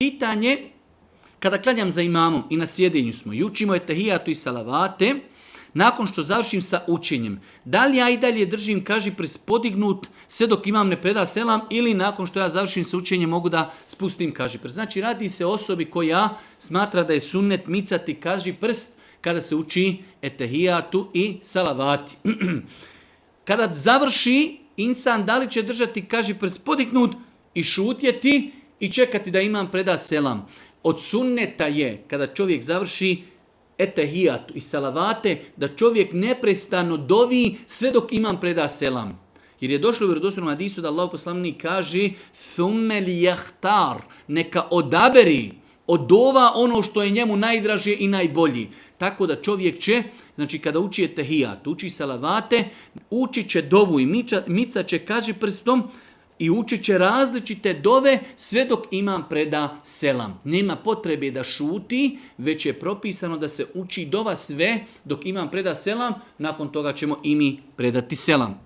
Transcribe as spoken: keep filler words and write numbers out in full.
Pitanje, kada klanjam za imamom i na sjedenju smo i učimo etehijatu i salavate, nakon što završim sa učenjem, da li ja i dalje držim kaži prst podignut sve dok imam ne preda selam ili nakon što ja završim sa učenjem mogu da spustim kaži prst. Znači radi se o osobi koja smatra da je sunnet micati kaži prst kada se uči etehijatu i salavati. Kada završi insan, da li će držati kaži prst podignut i šutjeti i čekati da imam preda selam. Od sunneta je, kada čovjek završi etehijatu i salavate, da čovjek neprestano dovi sve dok imam preda selam. Jer je došlo u vjerodostojnom hadisu da Allahov poslanik kaže thumme li jahtar, neka odaberi od dova ono što je njemu najdraže i najbolji. Tako da čovjek će, znači kada uči etehijat, uči salavate, uči će dovu i mica, mica će kaži prstom i učit će različite dove sve dok imam preda selam. Nema potrebe da šuti, već je propisano da se uči dova sve dok imam preda selam, nakon toga ćemo i mi predati selam.